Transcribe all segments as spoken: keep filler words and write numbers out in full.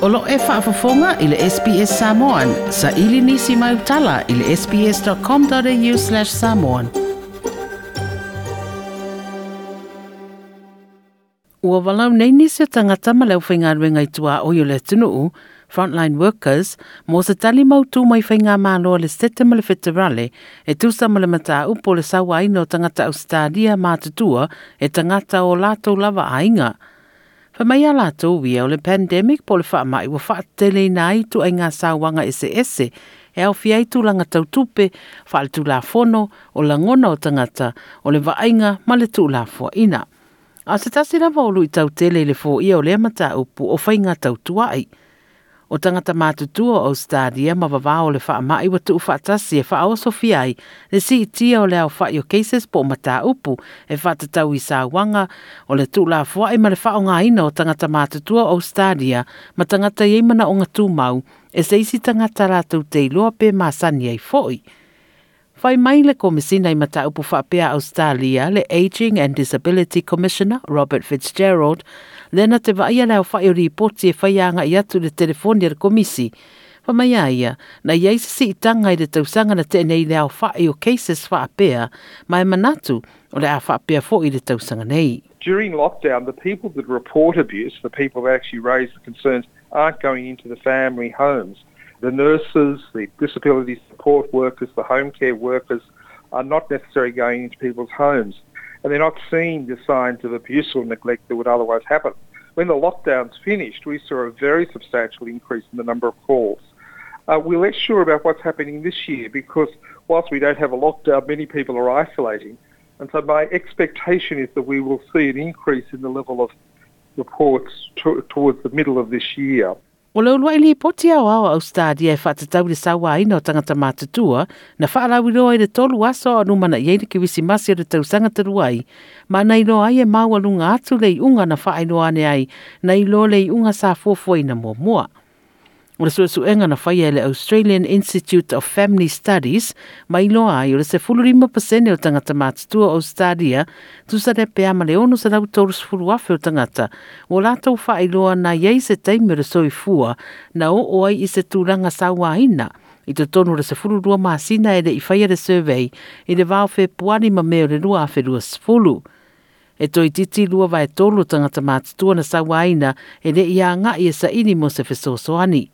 O lo e faafofoga i le S B S Samoan. Sa ili nisi mai utala i le S B S dot com dot A U slash samoan. Ua walau nei nisi o tagata ma le aufaigaluega i tuaoi o le atunuu, frontline workers, mo se tali mautu mai faigamalo a le Setete ma le Feterale e tusa ma le mataupu o le sauaina o tagata Ausetalia matutua e tagata o latou lava aiga. Fai mai a latou ia o le pandemic po o le faamai ua faateteleina ai ituaiga sauaga eseese e aofia ai tulaga tau tupe, faaletulafono, o lagona o tagata, o le vaaiga ma le tuulafoaina. A o se tasi lava o luitau tele i le foia o lea mataupu o faiga tautuai. O tagata matutua o Australia ma vavao o le faamai ua tuufaatasi e faaosofia ai le siitia o le aofai o cases po o mataupu e faatatau i sauaga o le tuulafoai ma le faaaogaina o tagata matutua o Australia ma tagata i ai manaoga tumau e se isi tagata latou te iloa pe masani ai foi. Fai mai le Komisina i mataupu faapea Australia, le Aging and Disability Commissioner Robert Fitzgerald, lea na te vaaia le aofai o ripoti e fai agai atu le telefoni a le komisi. Fai mai a ia, na i ai se siitaga i le tausaga na tea nei le aofai o cases faapea, ma e manatu o le a faapea foi le tausaga nei. During lockdown, the people that report abuse, the people that actually raise the concerns, aren't going into the family homes. The nurses, the disability support workers, the home care workers are not necessarily going into people's homes. And they're not seeing the signs of abuse or neglect that would otherwise happen. When the lockdown's finished, we saw a very substantial increase in the number of calls. Uh, we're less sure about what's happening this year because whilst we don't have a lockdown, many people are isolating. And so my expectation is that we will see an increase in the level of reports to, towards the middle of this year. O le uluai lipoti aoao a Australia e faatatau le sauaina o tagata matutua na faalauiloa i le tolu aso a o lumanai ai le Kerisimasi o le tausaga talu ai, ma na iloa ai e maualuga atu le iuga na faailoa ane ai na i lo le iuga sa fuafuaina muamua. O le suesuega na faia e le Australian Institute of Family Studies ma iloa ai o le sefulu lima pasene o tagata matutua o Australia, tusa lea pe a ma le ono selau tolusefalu afe o tagata, ua latou faailoa na i ai se taimi o le soifua na oo ai i se tulaga sauaina i totonu o le sefulu lua masina e le i faia le survey i le va o Fepuari ma Me o le lua afe luasefulu. E toeitiiti lua vae tolu o tagata matutua na sauaina e le i agai e saili mo se fesoasoani.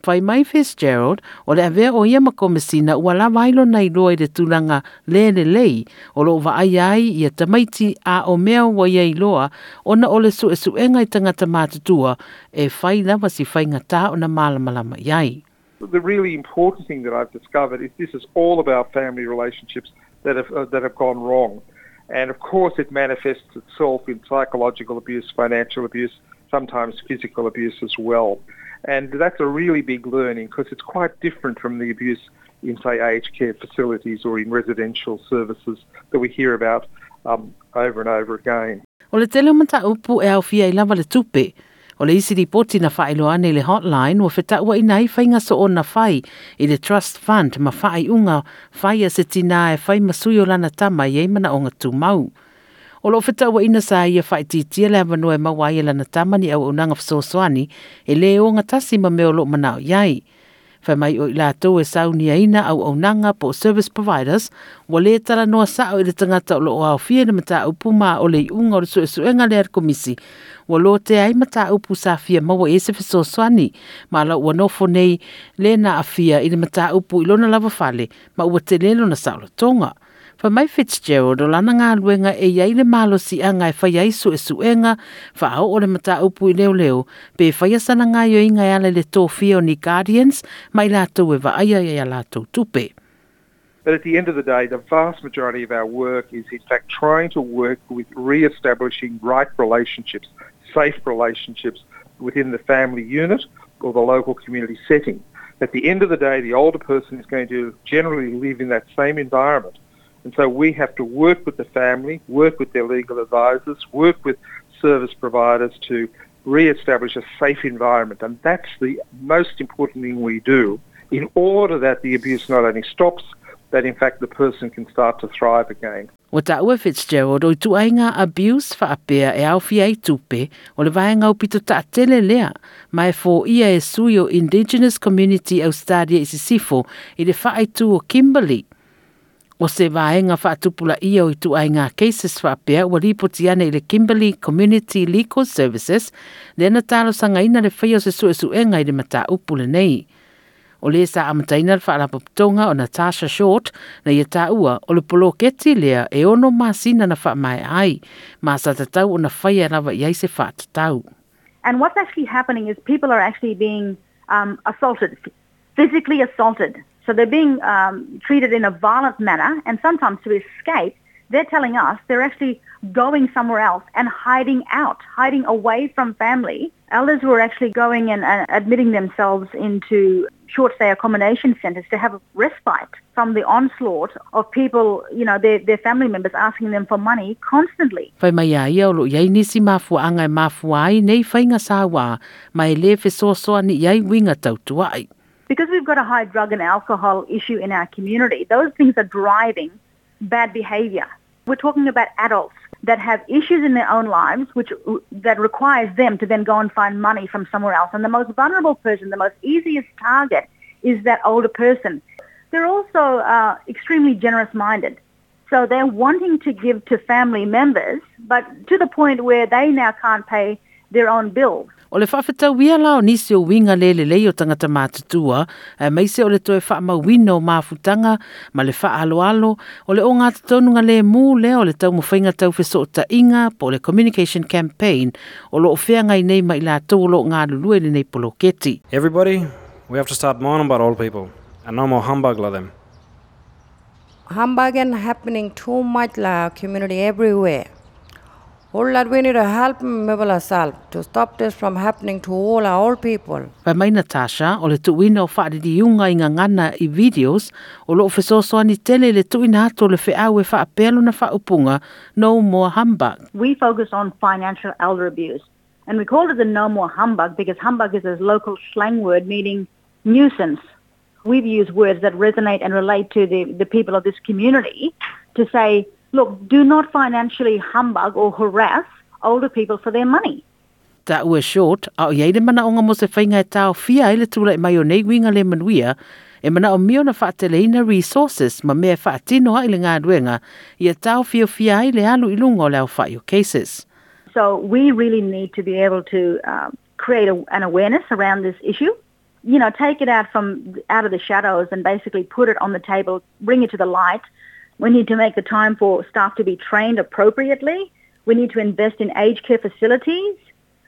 Fai mai Fitzgerald, o le avea o ia ma komisina ua lava ai lona iloa i le tulaga le lelei o loo vaai ai ia tamaiti a o mea ua ia iloa ona o le suesuega i tagata matutua e fai lava si faigata ona malamalama i ai. The really important thing that I've discovered is this is all about family relationships that have, uh, that have gone wrong. And of course, it manifests itself in psychological abuse, financial abuse, sometimes physical abuse as well. And that's a really big learning because it's quite different from the abuse in, say, aged care facilities or in residential services that we hear about um, over and over again. O le tele o mataupu e aofia ai lava le tupe. O le isi ripoti na faailoa ane i le hotline ua fetauaina ai faiga soona fai i le trust fund ma faaiuga fai a se tinā e fai ma sui o lana tama i ai manaoga tumau. O loo fetauaina sa ia faaitiitia le avanoa e maua ai e lana tama ni auaunaga fesoasoani e lē ogatasi ma mea o loo manao i ai. Fai mai o i latou e sauniaina auaunaga po o service providers ua lē talanoa sao i le tagata o loo aofia i le mataupu, ma o le iuga o le suesuega lea a le komisi ua lotea ai mataupu sa fia maua i ai se fesoasoani ma la ua nofo nei le na afia i le mataupu i lona lava fale ma ua tele lona saolotoga. Fai mai Fitzgerald o lana galuega e iai le malosiaga e fai ai suesuega faaoo le mataupu i leoleo pe faia sana gaioiga e ala i le tofia o ni guardians ma i latou e vaaia ia latou tupe. But at the end of the day, the vast majority of our work is in fact trying to work with re-establishing right relationships, safe relationships within the family unit or the local community setting. At the end of the day, the older person is going to generally live in that same environment. And so we have to work with the family, work with their legal advisors, work with service providers to re-establish a safe environment. And that's the most important thing we do in order that the abuse not only stops, that in fact the person can start to thrive again. O taua Fitzgerald o i tuaiga abuse faapea e aofia ai tupe o le vaega aupito taatele lea ma e foia e sui o Indigenous Community Australia i Sisifo i le faaitu o Kimberley. O se vaega faatupulaia o i tuaiga cases faapea ua lipoti ane i le Kimberley Community Legal Services lea na talosagaina le faia o se suesuega i le mataupu lenei. O le sa amataina le faalapotopotoga o Natasha Short na ia taua o le poloketi lea e ono masina na faamaea ai, ma sa tatau ona faia lava i ai se faatatau. And what's actually happening is people are actually being um, assaulted, physically assaulted. So they're being um, treated in a violent manner, and sometimes to escape, they're telling us they're actually going somewhere else and hiding out, hiding away from family. Elders who are actually going and uh, admitting themselves into short-stay accommodation centres to have respite from the onslaught of people, you know, their, their family members asking them for money constantly. Fai mai a ia o lo iai nisi mafuaanga e mafua ai nei whainga sāwā, ma e le fesoasoani i ai uiga tautuai. Because we've got a high drug and alcohol issue in our community, those things are driving bad behaviour. We're talking about adults that have issues in their own lives, which that requires them to then go and find money from somewhere else. And the most vulnerable person, the most easiest target is that older person. They're also uh, extremely generous-minded. So they're wanting to give to family members, but to the point where they now can't pay their own bills. O le faafetauia la o nisi o uiga le lelei o tagata matutua, aemaise o le toe faamauina o mafutaga ma le faaaloalo, o le ogatotonu lemu lea o le taumafaiga taufesootaiga po o le communication campaign o loo feagai nei ma i latou o loo galulue i lenei poloketi. Everybody, we have to start mourning about old people and no more humbug la them. Humbugging happening too much la community everywhere. All that we need to help ourselves to stop this from happening to all our old people. Fai mai Natasha, o le tuuina o faaliliuga i gagana i videos o loo fesoasoani tele i le tuuina atu o le feau e faapea lona faaupuga No More Humbug. We focus on financial elder abuse, and we call it the No More Humbug because humbug is a local slang word meaning nuisance. We've used words that resonate and relate to the, the people of this community to say, look, do not financially humbug or harass older people for their money. Taua Short, a o iai le manaoga mo se faiga e taofia ai le tula'i mai o nei uiga le manuia, e manaomia ona faateleina resources ma mea e faatino ai le galuega, ia taofiofia ai le alu i luga o le aofa'i o cases. So we really need to be able to uh, create a, an awareness around this issue. You know, take it out from out of the shadows and basically put it on the table, bring it to the light. We need to make the time for staff to be trained appropriately. We need to invest in aged care facilities.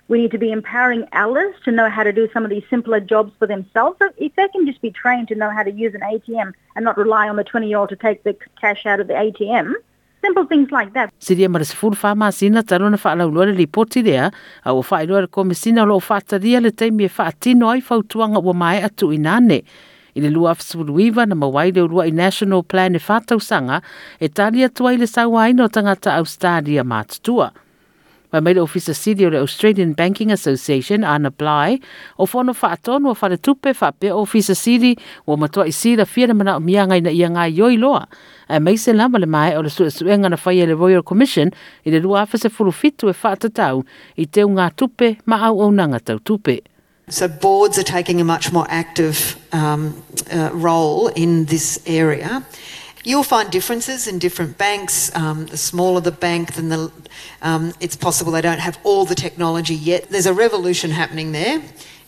We need to be empowering elders to know how to do some of these simpler jobs for themselves. So if they can just be trained to know how to use an A T M and not rely on the twenty-year-old to take the cash out of the A T M, simple things like that. Silia ma le sefulu fa masina talu ona faalauiloa le lipoti lea, a ua faailoa le komisina o loo faatalia le taimi e faatino ai fautuaga ua maea tuuina ane. I le lua afe sefulu iva na maua ai le uluai National Plan e faatausaga e tali atu ai le sauaina o tagata Australia matutua. Fai mai le Ofisa Sili o le Australian Banking Association, Anna Bligh, o fono faatonu o faletupe faapea Ofisa Sili ua matuai silafia le manaomiaga ina ia gaoioi loa, aemaise lava le maea o le suesuega na faia e le Royal Commission i le lua afe sefulu fitu e faatatau i teugatupe ma auaunaga tautupe. So boards are taking a much more active um, uh, role in this area. You'll find differences in different banks. Um, the smaller the bank, then the, um, it's possible they don't have all the technology yet. There's a revolution happening there.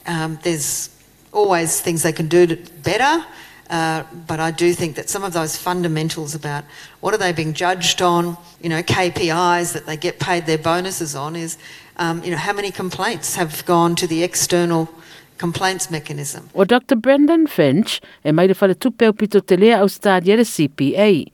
Um, there's always things they can do better, uh, but I do think that some of those fundamentals about what are they being judged on, you know, K P Is that they get paid their bonuses on is, um, you know, how many complaints have gone to the external complaints mechanism. O Doctor Brendan Finch e mai le faletupe o pito telea Australia le C P A.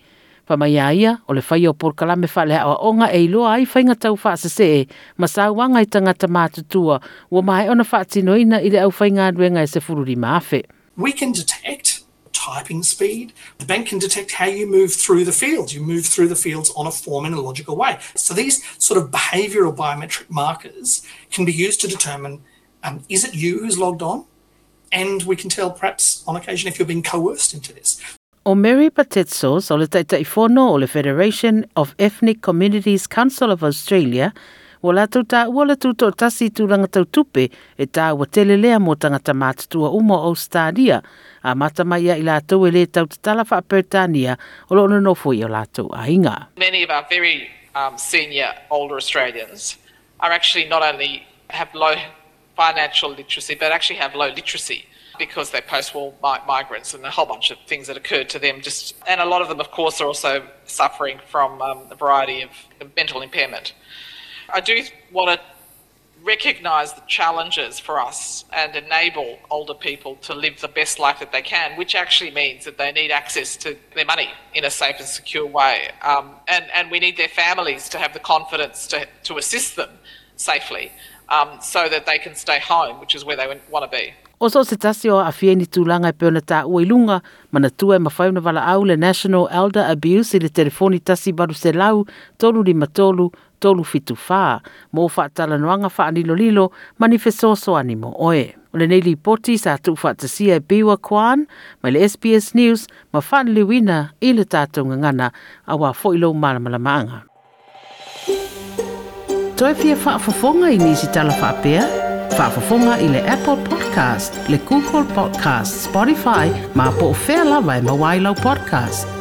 Fai mai ia o le faia o polokalame faaleaoaoga e iloa ai faiga taufaasesee ma sauaga i tagata matutua ua maea ona faatinoina i le aufaigaluega e sefulu lima afe. We can detect typing speed. The bank can detect how you move through the fields. You move through the fields on a form in a logical way. So these sort of behavioural biometric markers can be used to determine, um, is it you who's logged on? And we can tell perhaps on occasion if you're being coerced into this. O Mary Patetsos o le Taitaifono o le Federation of Ethnic Communities Council of Australia, ua latou taua le tutoatasi i tulaga tau tupe e taua tele lea mo tagata matutua uma o Australia, amata mai ia i latou e le tautatala faaperetania o loo nonofo i o latou aiga. Many of our very um, senior older Australians are actually not only have low financial literacy, but actually have low literacy because they're post-war migrants and a whole bunch of things that occurred to them. Just, and a lot of them, of course, are also suffering from um, a variety of mental impairment. I do want to recognise the challenges for us and enable older people to live the best life that they can, which actually means that they need access to their money in a safe and secure way. Um, and, and we need their families to have the confidence to, to assist them safely um, so that they can stay home, which is where they want to be. O so se tasi o aafia i ni tulaga e pei ona taua i luga, manatua e mafai ona valaau le National Elder Abuse i le telefoni tasi valu selau, tolu lima tolu, tolu fitu fa, mo faatalanoaga faalilolilo ma ni fesoasoani mo oe. O lenei lipoti sa tuufaatasia e Biwa Kwan mai le S B S News ma faaliliuina i le tatou gagana auā foi lou malamalamaaga. Toe fia faafofoga i nisi tala faapea? Faafofoga i le Apple Podcast, le Google Podcast, Spotify, ma po o fea lava e maua ai lau podcast.